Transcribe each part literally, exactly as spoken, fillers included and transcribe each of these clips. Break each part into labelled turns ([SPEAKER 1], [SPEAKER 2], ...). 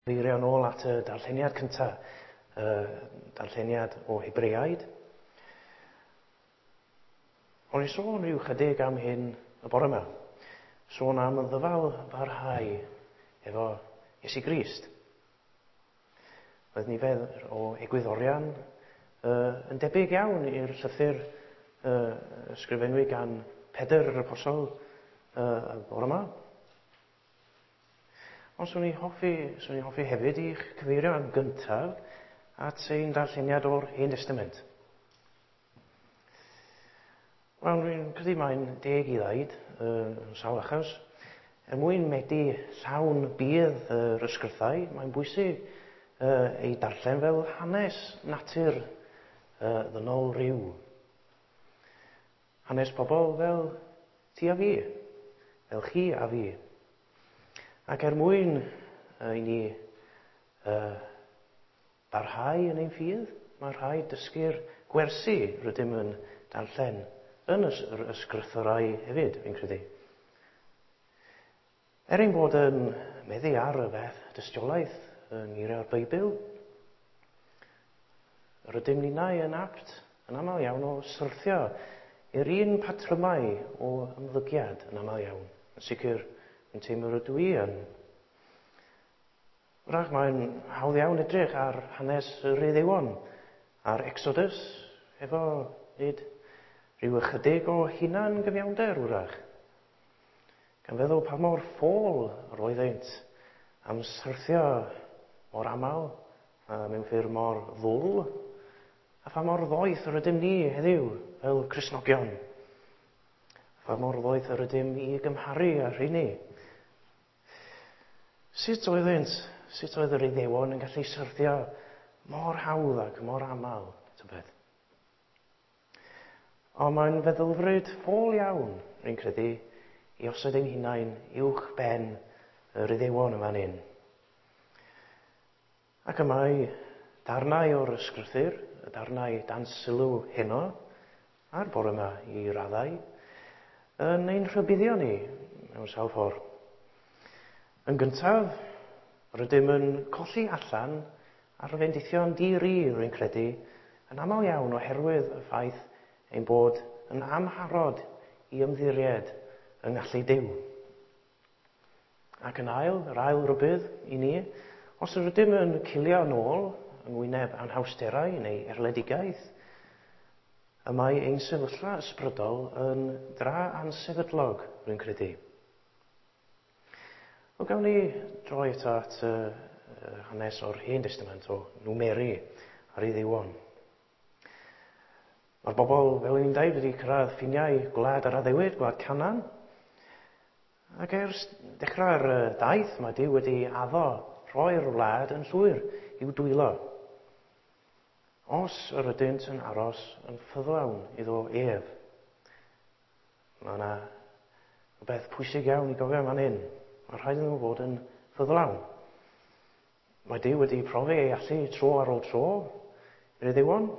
[SPEAKER 1] Cyfeirio nôl at y darlleniad cyntaf, y darlleniad o Hebreaid. O'n i sôn rhyw chydig am hyn y bore yma. Sôn am y ddyfal barhau efo Iesu Grist. Roedd nifer o egwyddorion uh, yn debyg iawn i'r llythyr uh, ysgrifennu gan Pedr yr Apostol uh, y bore yma. Ond swn i'n hoffi, swn i'n hoffi hefyd i'ch cyfeirio yn gyntaf at ein darlleniad o'r Hen Testament. Wel, dwi'n credu mae'n deg i ddeud, uh, yn sawl achos, er mwyn medi llawn budd yr ysgrythau, mae'n bwysig uh, ei darllen fel hanes natur uh, ddynol ryw. Hanes pobl fel ti a fi, fel chi a fi. Ac er mwyn uh, i ni uh, barhau yn ein ffydd, mae rhaid dysgu'r gwersi rydym yn darllen yn yr ysgrythurau hefyd, fi'n credu. Er ein bod yn meddu ar y fath dystiolaeth yng ngeiriau'r Beibl, rydym ninnau yn apt yn aml iawn o syrthio i'r un patrymau o ymddygiad yn aml iawn. Yn sicr, yn teimlo rydw i yn. Wrach, mae'n hawdd iawn edrych ar hanes yr Iddewon, a'r Exodus, efo nid rhyw ychydig o hunan gyfiawnder wrach. Gan feddwl pa mor ffôl yr oeddynt am syrthio mor aml, a mewn ffyrdd mor ddwl, a pha mor ddoeth yr ydym ni heddiw fel Cristnogion. A pha mor ddoeth yr ydym i gymharu â rheini. Sut oeddynt, sut oedd yr Iddewon yn gallu syrthio mor hawdd ac mor aml, tybed? Ond mae'n feddylfryd ffôl iawn, rwy'n credu, i osod ein hunain uwch ben yr Iddewon yn fan hyn. Ac y mae darnau o'r ysgrythur, y darnau dan sylw heno, a'r bore yma i raddau, yn ein rhybuddio ni mewn sawl ffordd. Yn gyntaf, rydym yn colli allan ar fendithion di-ri, rwy'n credu, yn aml iawn oherwydd y ffaith ein bod yn amharod i ymddiried yng ngallu Duw. Ac yn ail, yr ail rybudd i ni, os rydym yn cilio nôl yng ngwyneb anhawsterau neu erledigaeth, y mae ein sefyllfa ysbrydol yn dra ansefydlog, rwy'n credu. Wel, gawn ni droi eto at uh, hanes o'r Hen Testament o Numeri a'r Iddewon. Mae'r bobl, fel ni'n dweud, wedi cyrraedd ffiniau gwlad yr addewid, gwlad Canaan. Ac ers dechrau'r daith, mae Duw wedi addo rhoi'r wlad yn llwyr i'w dwylo. Os yr ydynt yn aros yn ffyddlawn iddo ef. Mae yna rhywbeth pwysig iawn i gofio fan hyn. Mae rhaid iddyn nhw fod yn ffyddlawn. Mae Duw wedi profi ei allu tro ar ôl tro i'r Iddewon,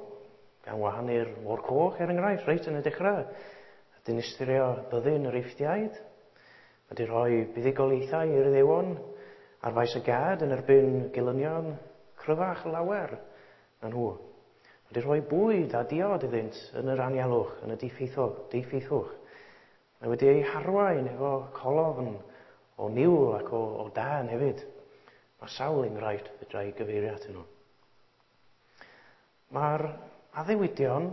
[SPEAKER 1] gan wahanu'r Môr Coch, er enghraifft, reit yn y dechrau, a dinistrio byddin yr Eifftiaid. Mae wedi rhoi buddugoliaethau i'r Iddewon ar faes y gad yn erbyn gelynion cryfach lawer na nhw. Mae wedi rhoi bwyd a diod iddynt yn yr anialwch, yn y diffeithwch. Mae wedi ei harwain efo colofn o niwl ac o, o dân hefyd. Mae sawl enghraifft fedra i gyfeirio atyn nhw. Mae'r addewidion,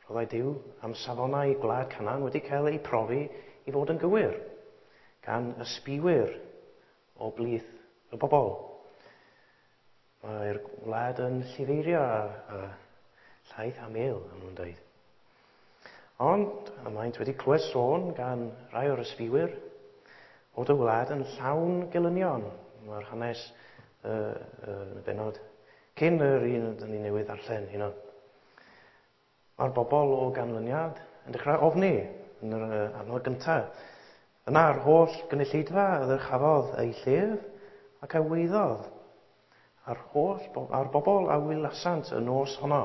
[SPEAKER 1] rhoddai Duw, am safonau gwlad Canaan wedi cael eu profi i fod yn gywir gan ysbiwyr o blith y bobl. Mae'r wlad yn llifeirio a, a llaeth a mel, am nhw'n dweud. Ond y maent wedi clywed sôn gan rai o'r ysbiwyr bod y wlad yn llawn gelynion. Mae'r hanes uh, uh, yn y bennod cyn yr un ydyn ni newydd ddarllen hynna. Mae'r bobl o ganlyniad yn dechrau ofni yn yr uh, adnod gyntaf. Yna'r holl gynulleidfa a ddyrchafodd ei llef ac a weiddodd a'r holl a'r bobl a wylasant y nos honno.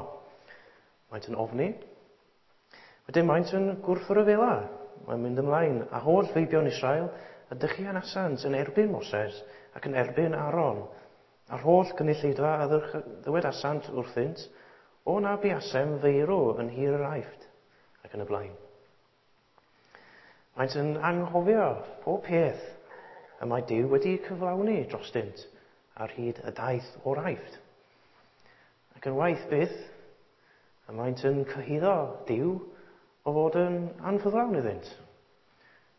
[SPEAKER 1] Maent yn ofni. Wedyn maent yn gwrthryfela. Mae'n mynd ymlaen. A holl feibion Israel a dychianasant yn erbyn Moses ac yn erbyn Aaron. A'r holl gynulleidfa a ddywedasant wrthynt, o na buasem feirw yn nhir yr Aifft, ac yn y blaen. Maent yn anghofio pob peth y mae Duw wedi cyflawni drostynt ar hyd y daith o'r Aifft. Ac yn waeth byth, y maent yn cyhuddo Duw o fod yn anffyddlawn iddynt.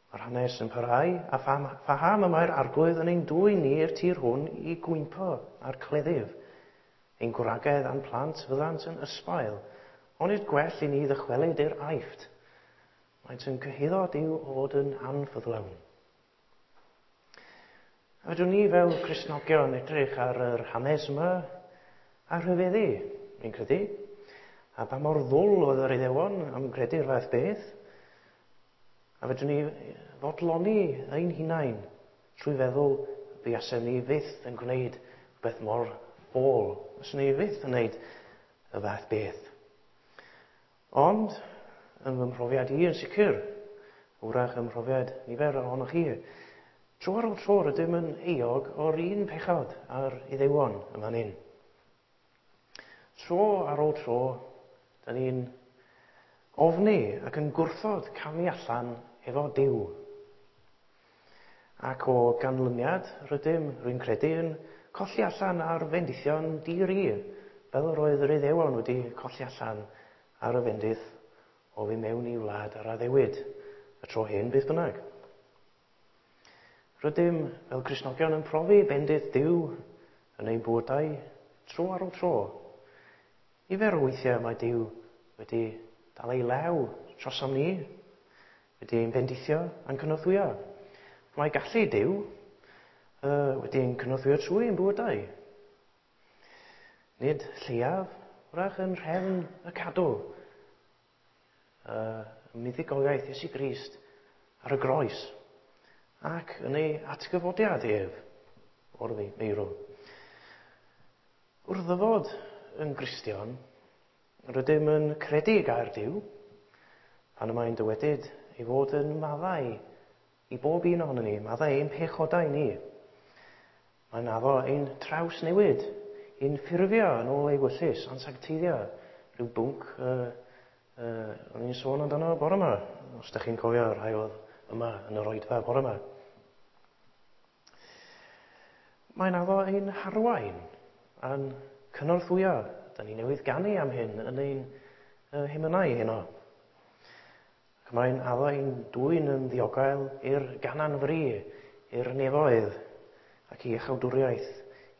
[SPEAKER 1] Mae'r hanes yn parhau, a phaham y mae'r Arglwydd yn ein dwyn ni i'r tir hwn i gwympo a'r cleddyf. Ein gwragedd a'n plant fyddant yn ysbail, onid gwell i ni ddychwelyd i'r Aifft. Maent yn cyhuddo Duw o fod yn anffyddlawn. A fedrwn ni fel Cristnogion edrych ar yr hanes yma a rhyfeddu, fi'n credu. A pa mor ddwl oedd yr Iddewon am gredu'r fath beth. A fedrwn ni fodloni ein hunain trwy feddwl buasem ni fyth yn gwneud beth mor ffôl. Fyswn ni fyth yn gwneud y fath beth. Ond, yn fy mhrofiad i yn sicr, wrach ym mhrofiad nifer ohonoch chi, tro ar ôl tro rydym yn euog o'r un pechod a'r Iddewon yn fan hyn. Tro ar ôl tro, da ni'n ofni ac yn gwrthod camu allan efo Duw. Ac o ganlyniad, rydym, rwy'n credu, yn colli allan ar fendithion di-ri, fel yr oedd yr Iddewon wedi colli allan ar y fendith o fy mewn i wlad ar addewid, y tro hyn beth bynnag. Rydym fel Cristnogion yn profi bendith Duw yn ein bywydau tro ar ôl tro. Nifer o weithiau mae Duw wedi dal ei law trosom ni, wedi ein bendithio a'n cynorthwyo. Mae gallu Duw uh, wedi ein cynorthwyo trwy ein bywydau. Nid lleiaf, wrach yn rhefn y cadw, uh, muddugoliaeth Iesu Grist ar y groes ac yn ei atgyfodiad ef o'r meirw. Wrth ddyfod yn Gristion, rydym yn credu gair Duw, pan y mae'n dywedyd ei fod yn maddau i bob un ohonon ni, maddau ein pechodau ni. Mae'n addo ein trawsnewid, ein ffurfio yn ôl ei wyllys, a'n sancteiddio, rhyw bwnc uh, uh, o'n i'n sôn amdano bore yma, os ydych chi'n cofio rhai oedd yma yn yr oedfa bore yma. Mae'n addo ein harwain a'n cynorthwyo. Da ni newydd ganu am hyn yn ein uh, hymynau heno. Ac mae'n addo ein dwyn yn ddiogel i'r ganan fri, i'r nefoedd ac i iachawdwriaeth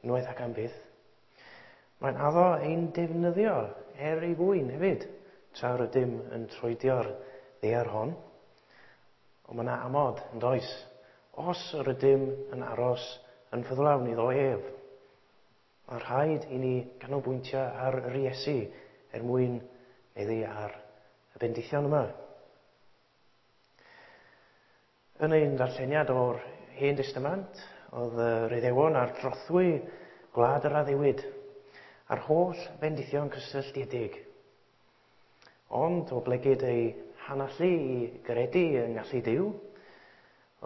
[SPEAKER 1] unwaith ac am byth. Mae'n addo ein defnyddio er ei fwyn hefyd, tra rydym yn troedio'r ddaear hon. Ond mae yna amod yn does, os rydym yn aros yn ffyddlawn iddo ef. Mae rhaid i ni ganolbwyntio ar yr Iesu er mwyn meddu ar y bendithion yma. Yn ein darlleniad o'r Hen Destament, oedd yr Iddewon ar drothwy gwlad yr addewid, a'r holl bendithion cysylltiedig. Ond o blegid ei hanallu i gredu yng ngallu Duw,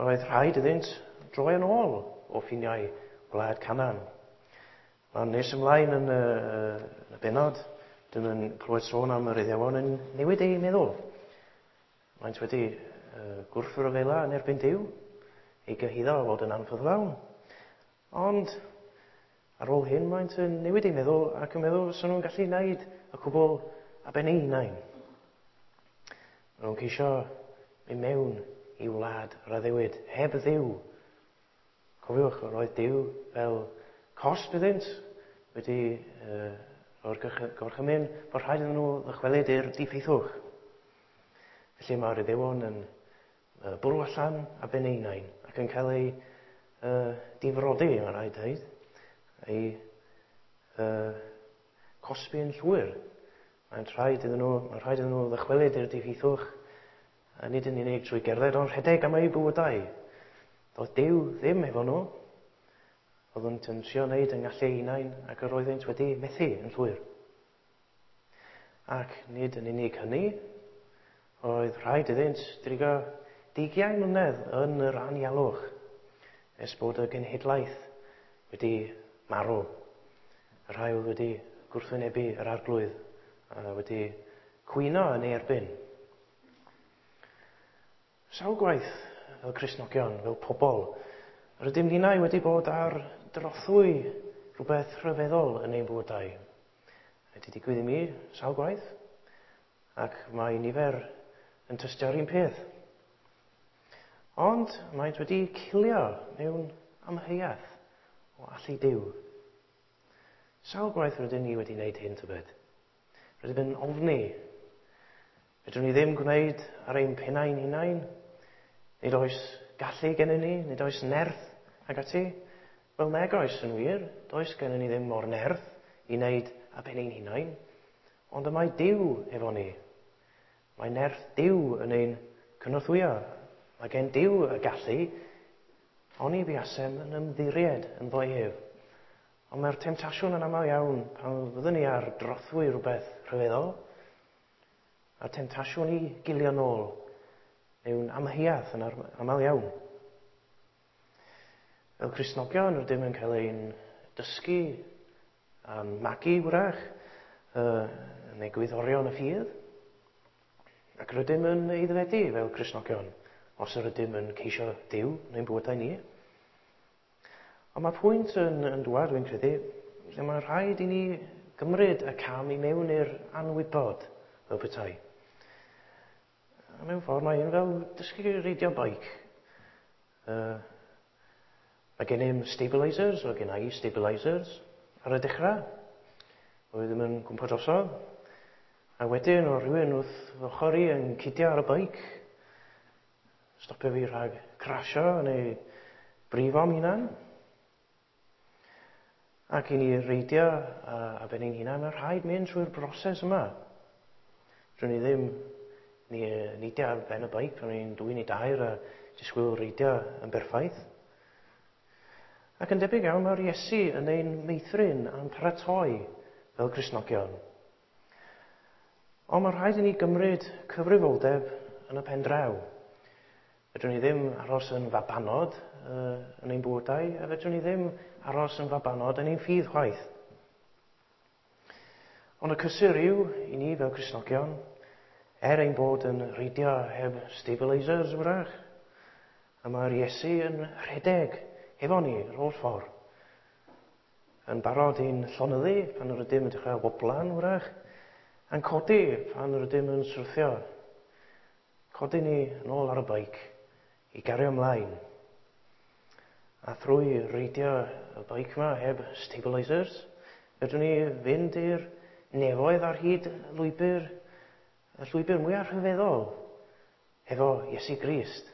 [SPEAKER 1] roedd rhaid iddynt droi yn ôl o ffiniau gwlad Canaan. Mae'n nes ymlaen yn y, yn y bennod, dyn yn clywed sôn am yr Iddewon yn newid eu meddwl. Maent wedi uh, gwrthryfela yn erbyn Duw, ei gyhuddo o fod yn anffyddlawn. Ond ar ôl hyn maent yn newid eu meddwl ac yn meddwl fysa nhw'n gallu gwneud y cwbl a ben eu hunain. Maen nhw'n ceisio mynd mewn i wlad yr addewid, heb Dduw. Cofiwch, roedd Duw fel cosb iddynt wedi uh, o'r gorchymyn bod rhaid iddyn nhw ddychwelyd i'r diffeithwch. Felly mae'r Iddewon yn uh, bwrw allan a ben eu hunain ac yn cael eu uh, difrodi, mae'n rhaid dweud, eu uh, cosbi'n llwyr. Mae'n rhaid iddyn nhw, mae'n rhaid iddyn nhw ddychwelyd i'r diffeithwch, a nid yn unig trwy gerdded, ond rhedeg am eu bywydau. Doedd Duw ddim efo nhw. Oedden nhw'n trio wneud yng ngallu eu hunain ac yr oeddynt wedi methu yn llwyr. Ac nid yn unig hynny, oedd rhaid iddynt drigo deugain mlynedd yn yr anialwch nes bod y genhedlaeth wedi marw. Y rhai oedd wedi gwrthwynebu yr arglwydd a wedi cwyno yn ei erbyn. Sawl gwaith fel Cristnogion, fel pobl, rydym ninnau wedi bod ar drothwy rhywbeth rhyfeddol yn ein bywydau. Wedi digwydd i mi sawl gwaith, ac mae nifer yn tystio'r un peth. Ond maent wedi cilio mewn amheuaeth o allu Duw. Sawl gwaith rydyn ni wedi wneud hyn tybed? Rydym yn ofni. Fedrwn ni ddim gwneud ar ein pennau'n hunain. Nid oes gallu gennym ni, nid oes nerth ac ati. Wel, nag oes yn wir, does gennym ni ddim mor nerth i wneud ar ben ein hunain. Ond y mae Duw efo ni. Mae nerth Duw yn ein cynorthwyo. Mae gen Duw y gallu, oni buasem yn ymddiried ynddo ef. Ond mae'r temtasiwn yn aml iawn pan fyddwn ni ar drothwy rhywbeth rhyfeddol, a'r temtasiwn i gilio nôl mewn amheuaeth yn aml iawn. Fel Cristnogion rydym yn cael ein dysgu a'n magu wrach uh, yn egwyddorion y ffydd, ac rydym yn aeddfedu fel Cristnogion os yr ydym yn ceisio Duw yn ein bywydau ni. Ond mae pwynt yn, yn dŵad, dwi'n credu, lle mae rhaid i ni gymryd y cam i mewn i'r anwybod fel petai. A mewn ffordd mae un fel dysgu reidio beic. Uh, mae gennym stabilisers, o gen i stabilisers ar y dechrau. Oedd ddim yn gwmpa drosodd. A wedyn o rhywun wrth ochr i yn cydio ar y beic, stopio fi rhag crasio neu brifo am hunan. Ac i ni reidio a, a ben ein hunan, mae rhaid mynd trwy'r broses yma. Drwy ni ddim ni, neidio ar ben y beic pan ni'n dwy neu dair a disgwyl reidio yn berffaith. Ac yn debyg iawn, mae'r Iesu yn ein meithrin a'n paratoi fel Cristnogion. Ond mae rhaid i ni gymryd cyfrifoldeb yn y pen draw. Fedrwn ni ddim aros yn fabanod uh, yn ein bywydau, a fedrwn ni ddim aros yn fabanod yn ein ffydd chwaith. Ond y cysur yw i ni fel Cristnogion, er ein bod yn reidio heb stabilisers wrach, a mae'r Iesu yn rhedeg efo ni yr holl ffordd. Yn barod i'n llonyddu pan yr ydym yn dechrau woblan wrach, a'n codi pan yr ydym yn syrthio. Codi ni yn ôl ar y beic i gario ymlaen. A thrwy reidio y beic yma heb stabilisers, fedrwn ni fynd i'r nefoedd ar hyd lwybr, y llwybr mwyaf rhyfeddol efo Iesu Grist.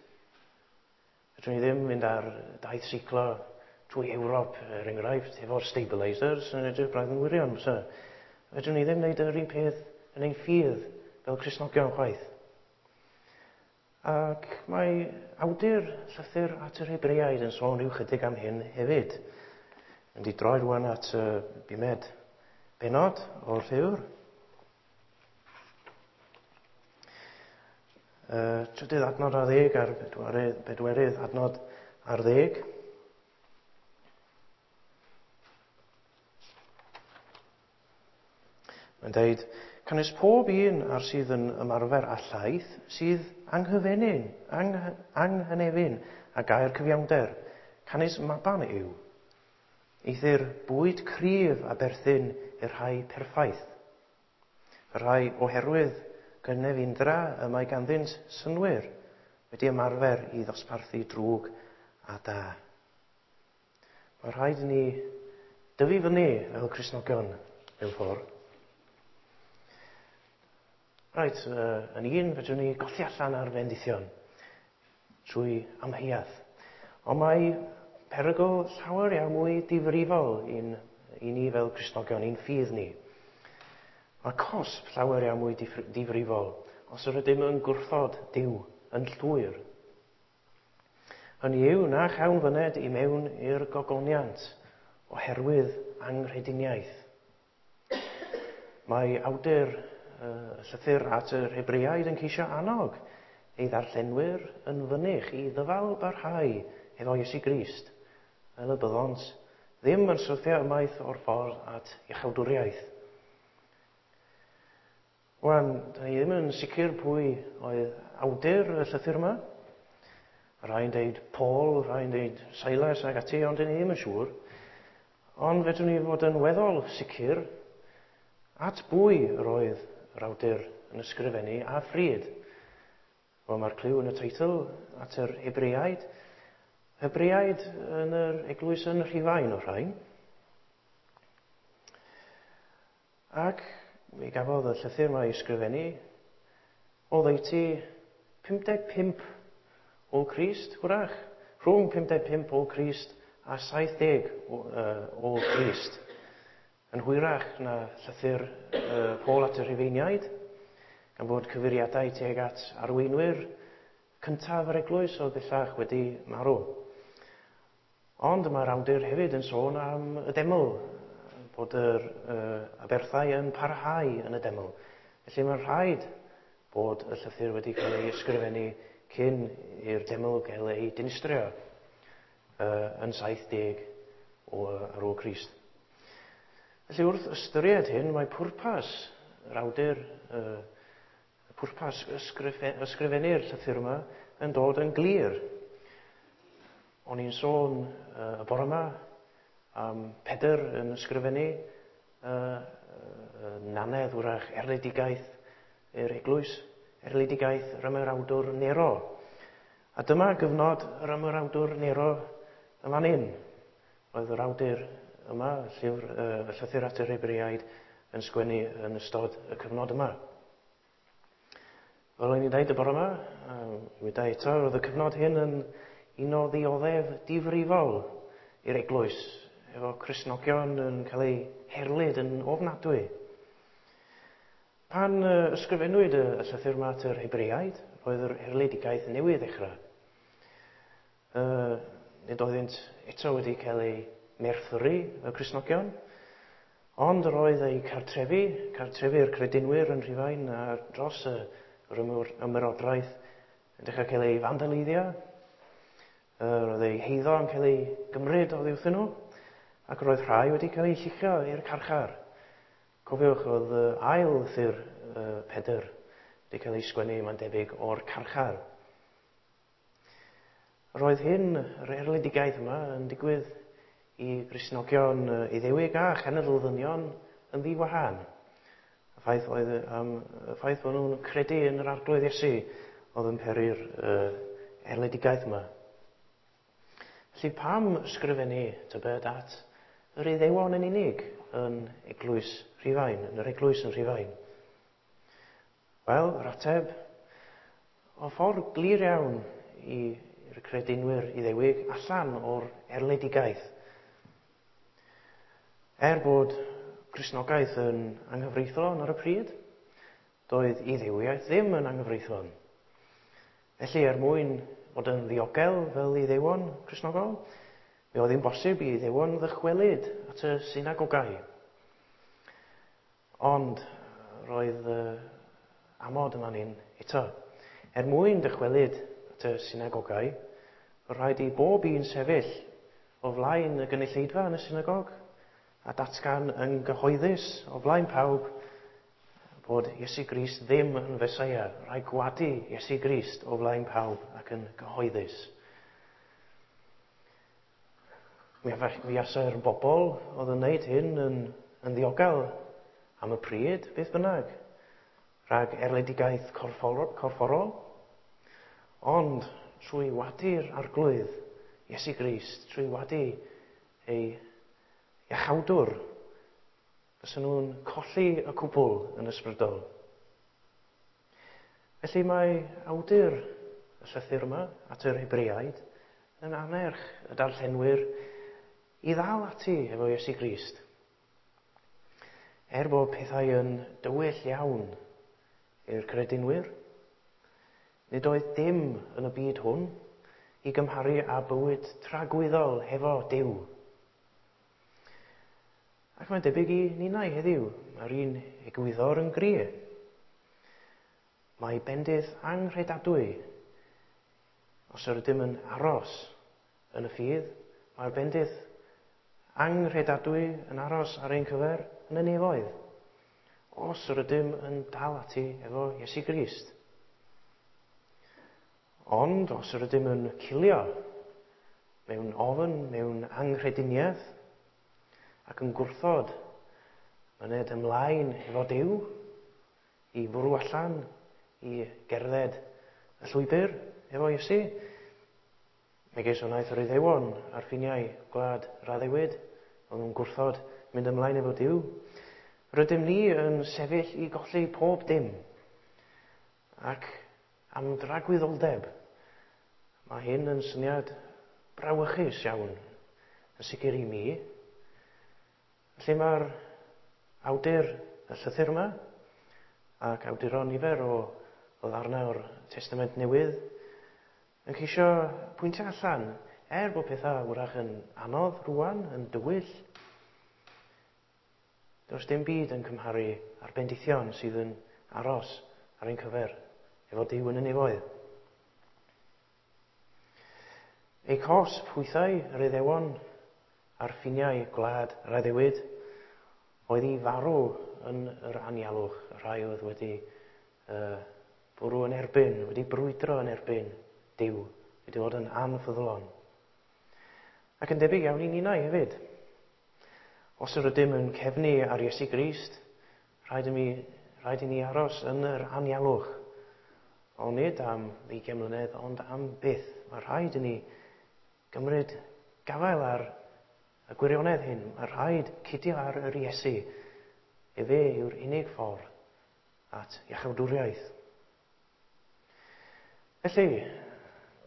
[SPEAKER 1] Fedrwn ni ddim mynd ar daith seiclo trwy Ewrop, er enghraifft, efo'r stabilisers yn edrych braidd yn wirion. So, fedrwn ni ddim wneud yr un peth yn ein ffydd fel Cristnogion chwaith. Ac mae awdur llythyr at yr Hebreaid yn sôn rhyw chydig am hyn hefyd. Mynd i droi rwan at y bumed bennod o'r llyfr. Uh, trydydd adnod ar ddeg a'r bedwerydd, bedwerydd adnod ar ddeg. Mae'n dweud, canys pob un ar sydd yn ymarfer a llaeth sydd anghyfenyn, ang, anghynefin a gair cyfiawnder, canys maban yw. Eithr bwyd cryf a berthyn i'r rhai perffaith. Y rhai oherwydd gynefindra y mae ganddynt synnwyr wedi ymarfer i ddosbarthu drwg a da. Mae rhaid i ni dyfu fyny fel Cristnogion mewn ffordd. Reit, uh, yn un, fedrwn ni golli allan ar fendithion trwy amheuaeth. Ond mae perygl llawer iawn mwy difrifol i'n, i ni fel Cristnogion, i'n ffydd ni. Mae cosb llawer iawn mwy difrifol os yr ydym yn gwrthod Duw yn llwyr. Hynny yw na chawn fyned i mewn i'r gogoniant oherwydd anghrediniaeth. Mae awdur uh, llythyr at yr Hebreaid yn ceisio annog ei ddarllenwyr yn fynych i ddyfal barhau efo Iesu Grist, fel y byddont ddim yn syrthio ymaith o'r ffordd at iachawdwriaeth. Wan, da ni ddim yn sicr pwy oedd awdur y llythyr yma. Rhai'n deud Paul, rhai'n deud Silas ac ati, ond dyn ni ddim yn siŵr. Ond fedrwn ni fod yn weddol sicr at bwy yr oedd yr awdur yn ysgrifennu a phryd. Wel, mae'r cliw yn y teitl at yr Hebreaid. Hebreaid yn yr eglwys yn Rhufain o'r rhain. Ac mi gafodd y llythyr yma ei ysgrifennu oddeutu pum deg pump ôl Crist, hwrach, rhwng pum deg pump ôl Crist a saith deg ôl Crist. Yn hwyrach na llythyr uh, Paul at y Rhufeiniaid, gan fod cyfeiriadau tuag at arweinwyr cyntaf yr eglwys oedd bellach wedi marw. Ond mae'r awdur hefyd yn sôn am y deml, bod yr uh, aberthau yn parhau yn y deml. Felly mae'n rhaid bod y llythyr wedi cael ei ysgrifennu cyn i'r deml gael ei dinistrio uh, yn saith deg o, ar ôl Crist. Felly wrth ystyried hyn, mae pwrpas yr awdur, uh, pwrpas ysgrife, ysgrifennu'r llythyr yma yn dod yn glir. O'n i'n sôn uh, y bore yma am Pedr yn ysgrifennu uh, uh, nanedd wrach erledigaeth i'r eglwys, erledigaeth yr ymerawdwr Nero. A dyma gyfnod yr ymerawdwr Nero yn fan hyn. Oedd yr awdur yma, llyfr, uh, y llythyr at yr Hebreaid, yn sgwennu yn ystod y cyfnod yma. Fel o'n i'n dweud y bore yma, um, wedi eto, roedd y cyfnod hyn yn un o ddioddef difrifol i'r eglwys, efo Cristnogion yn cael eu herlid yn ofnadwy. Pan ysgrifennwyd y llythyr yma at yr Hebreaid, roedd yr erledigaeth newydd ddechrau. Uh, nid oeddynt eto wedi cael eu merthyru, y Cristnogion, ond roedd eu cartrefi, cartrefi'r credinwyr yn Rhufain a dros yr ymerodraeth yn dechrau cael eu fandaleiddio. Roedd eu heiddo yn cael ei gymryd oddi wrthyn nhw, ac roedd rhai wedi cael eu lluchio i'r carchar. Cofiwch, oedd ail lythyr Pedr wedi cael ei sgwennu, mae'n debyg, o'r carchar. Roedd hyn, yr erledigaeth yma, yn digwydd i Gristnogion Iddewig a chenedl ddynion yn ddiwahân. Y ffaith oedd, um, y ffaith bod nhw'n credu yn yr Arglwydd Iesu oedd yn peri'r uh, erledigaeth yma. Felly pam ysgrifennu tybed at yr Iddewon yn unig yn eglwys Rhufain, yn yr eglwys yn Rhufain? Wel, yr ateb, o ffordd glir iawn i'r credinwyr Iddewig allan o'r erledigaeth. Er bod Cristnogaeth yn anghyfreithlon ar y pryd, doedd Iddewiaeth ddim yn anghyfreithlon. Felly, er mwyn fod yn ddiogel fel Iddewon Cristnogol, mi oedd hi'n bosib i Iddewon ddychwelyd at y synagogau. Ond roedd uh, amod yma ni'n eto. Er mwyn dychwelyd at y synagogau, rhaid i bob un sefyll o flaen y gynulleidfa yn y synagog a datgan yn gyhoeddus o flaen pawb bod Iesu Grist ddim yn Feseia. Rhaid gwadu Iesu Grist o flaen pawb ac yn gyhoeddus. Mi fuasai'r bobl oedd yn wneud hyn yn, yn ddiogel am y pryd, beth bynnag, rhag erledigaeth corfforol, corfforol, ond trwy wadu'r Arglwydd Iesu Grist, trwy wadu ei iachawdwr, fysa nhw'n colli y cwbl yn ysbrydol. Felly mae awdur y llythyr yma at yr Hebreaid yn anerch y darllenwyr i ddal ati efo Iesu Grist. Er bod pethau yn dywyll iawn i'r credinwyr, nid oedd dim yn y byd hwn i gymharu â bywyd tragwyddol hefo Duw. Ac mae'n debyg i ninnau heddiw, mae'r un egwyddor yn gry. Mae bendith anghredadwy. Os yr ydym yn aros yn y ffydd, mae'r bendith anghredadwy yn aros ar ein cyfer yn y nefoedd, os yr ydym yn dal ati efo Iesu Grist. Ond os yr ydym yn cilio mewn ofn, mewn anghrediniaeth, ac yn gwrthod myned ymlaen efo Duw, i fwrw allan, i gerdded y llwybr efo Iesu, megis wnaeth yr Iddewon ar ffiniau gwlad yr addewid, oedd nhw'n gwrthod mynd ymlaen efo Duw. Rydym ni yn sefyll i golli pob dim, ac am dragwyddoldeb. Mae hyn yn syniad brawychus iawn, yn sicr i mi. Felly mae'r awdur y llythyr yma, ac awduron nifer o, o ddarnau o'r Testament Newydd, yn ceisio pwyntio allan, er bod pethau wrach yn anodd rwan, yn dywyll, does dim byd yn cymharu â'r bendithion sydd yn aros ar ein cyfer efo Duw yn y nefoedd. Eu cosb hwythau yr Iddewon ar ffiniau gwlad yr addewid oedd i farw yn yr anialwch, y rhai oedd wedi uh, bwrw yn erbyn, wedi brwydro yn erbyn Duw, wedi bod yn anffyddlon. Ac yn debyg iawn i ninnau hefyd. Os yr ydym yn cefnu ar Iesu Grist, rhaid i mi, rhaid i ni aros yn yr anialwch. Ond nid am ddeugain mlynedd, ond am byth. Mae rhaid i ni gymryd gafael ar y gwirionedd hyn. Mae rhaid cydio ar yr Iesu. Efe yw'r unig ffordd at iachawdwriaeth. Felly,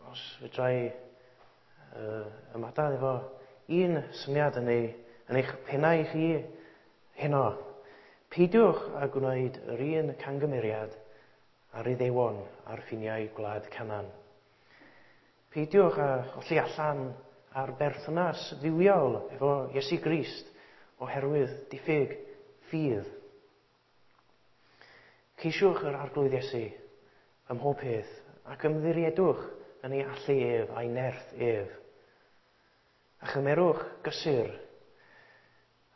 [SPEAKER 1] os fedra i uh, ymadael efo un syniad yn, ei, yn eich pennau chi heno, peidiwch â gwneud yr un cangymeriad ar Iddewon ar ffiniau gwlad Canaan. Peidiwch â cholli allan ar berthynas dduwiol efo Iesu Grist oherwydd diffyg ffydd. Ceisiwch yr Arglwydd Iesu ym mhob peth ac ymddiriedwch yn ei allu ef a'i nerth ef. A chymerwch gysur,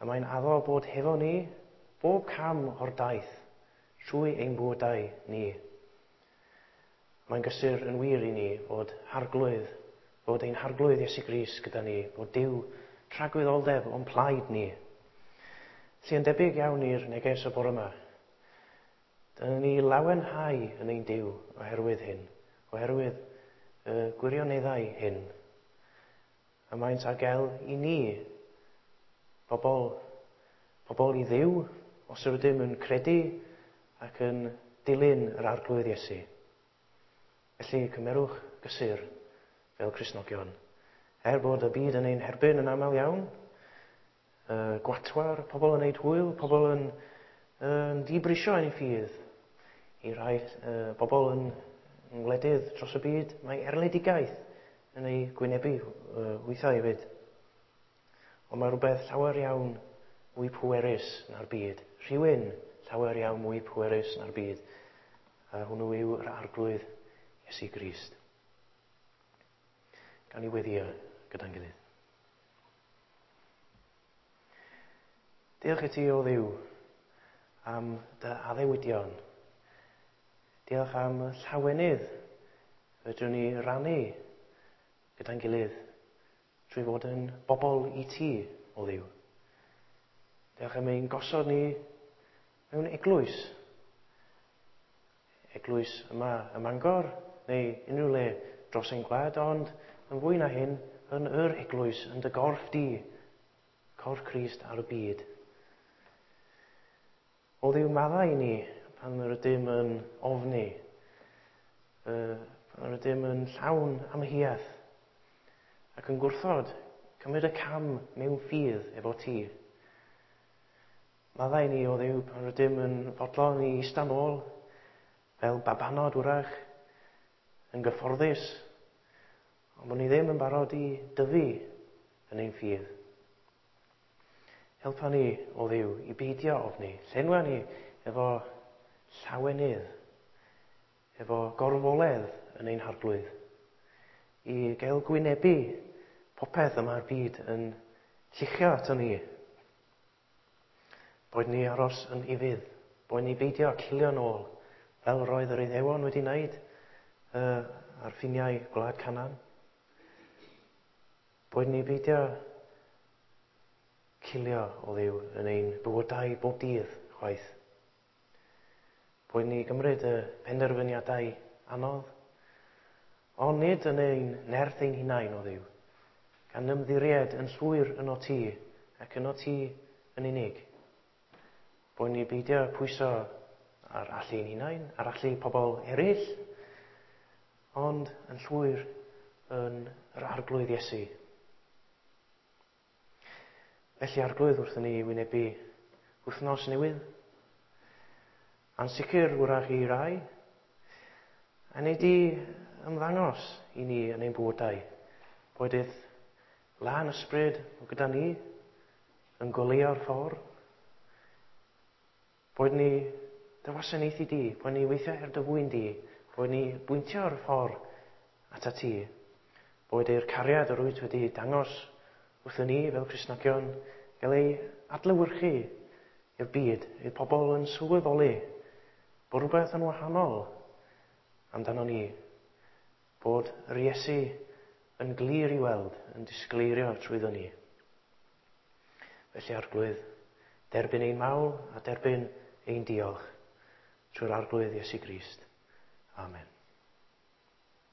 [SPEAKER 1] a mae'n addo bod hefo ni bob cam o'r daith trwy ein bywydau ni. Mae'n gysur yn wir i ni fod harglwydd, fod ein harglwydd Iesu Grist gyda ni, bod Duw tragwyddoldeb o'n plaid ni. Felly yn debyg iawn i'r neges y bore yma. Dyna ni lawenhau yn ein Duw oherwydd hyn, oherwydd y gwirioneddau hyn. A maent ar gael i ni, bobl, bobl i Dduw, os ydym yn credu ac yn dilyn yr Arglwydd Iesu. Felly cymerwch gysur fel Cristnogion. Er bod y byd yn ein herbyn yn aml iawn, uh, gwatwar, pobl yn neud hwyl, pobl yn, yn dibrisio ein ffydd. I rai uh, bobl yn, yn wledydd dros y byd, mae erledigaeth yn ei gwynebu uh, weithiau hefyd. Ond mae rhywbeth llawer iawn mwy pwerus na'r byd. Rhywun llawer iawn mwy pwerus na'r byd. A hwnnw yw'r Arglwydd Iesu Grist. Gan i weddio gyda'n gilydd. Diolch i ti, o Dduw, am dy addewidion. Diolch am llawenydd fedrwn ni rannu gyda'n gilydd trwy fod yn bobl i ti, o Dduw. Diolch am ein gosod ni mewn eglwys. Eglwys yma ym Mangor, neu unrhyw le dros ein gwlad, ond yn fwy na hyn, yn yr eglwys, yn dy gorff di, corff Crist ar y byd. O Dduw, maddau i ni pan yr ydym yn ofni, pan yr ydym yn llawn amheuaeth, ac yn gwrthod cymryd y cam mewn ffydd efo ti. Maddau i ni, o Dduw, pan rydym yn fodlon i eistedd nôl, fel babanod wrach, yn gyfforddus, ond bod ni ddim yn barod i dyfu yn ein ffydd. Helpa ni, o Dduw, i beidio ofni. Llenwa ni efo llawenydd, efo gorfoledd yn ein harglwydd, i gael gwynebu popeth y mae'r byd yn lluchio ato ni. Boed ni aros yn ufudd, boed ni beidio cilio nôl, fel roedd yr Iddewon wedi wneud uh, ar ffiniau gwlad Canaan. Boed ni beidio cilio o Dduw yn ein bywydau bob dydd chwaith. Boed ni gymryd y penderfyniadau anodd, ond nid yn ein nerth ein hunain o Dduw, gan ymddiried yn llwyr yno ti ac yno ti yn unig. Boed ni beidio pwyso ar allu ein hunain, ar allu pobl eraill, ond yn llwyr yn yr Arglwydd Iesu. Felly Arglwydd, wrth ni wynebu wythnos newydd, ansicr wrach i rai, a wnei di ymddangos i ni yn ein bywydau, boed i'th lân ysbryd o gyda ni yn goleuo'r ffordd, boed ni dy wasanaethu di, boed ni weithio er dy fwyn di, boed ni bwyntio'r ffordd ata ti, boed i'r cariad yr wyt wedi dangos wrthyn ni fel Cristnogion gael ei adlewyrchu i'r byd, i'r pobl yn sylweddoli bod rhywbeth yn wahanol amdano ni, bod yr Iesu yn glir i weld, yn disgleirio trwyddo ni. Felly Arglwydd, derbyn ein mawl a derbyn ein diolch trwy'r Arglwydd Iesu Grist. Amen.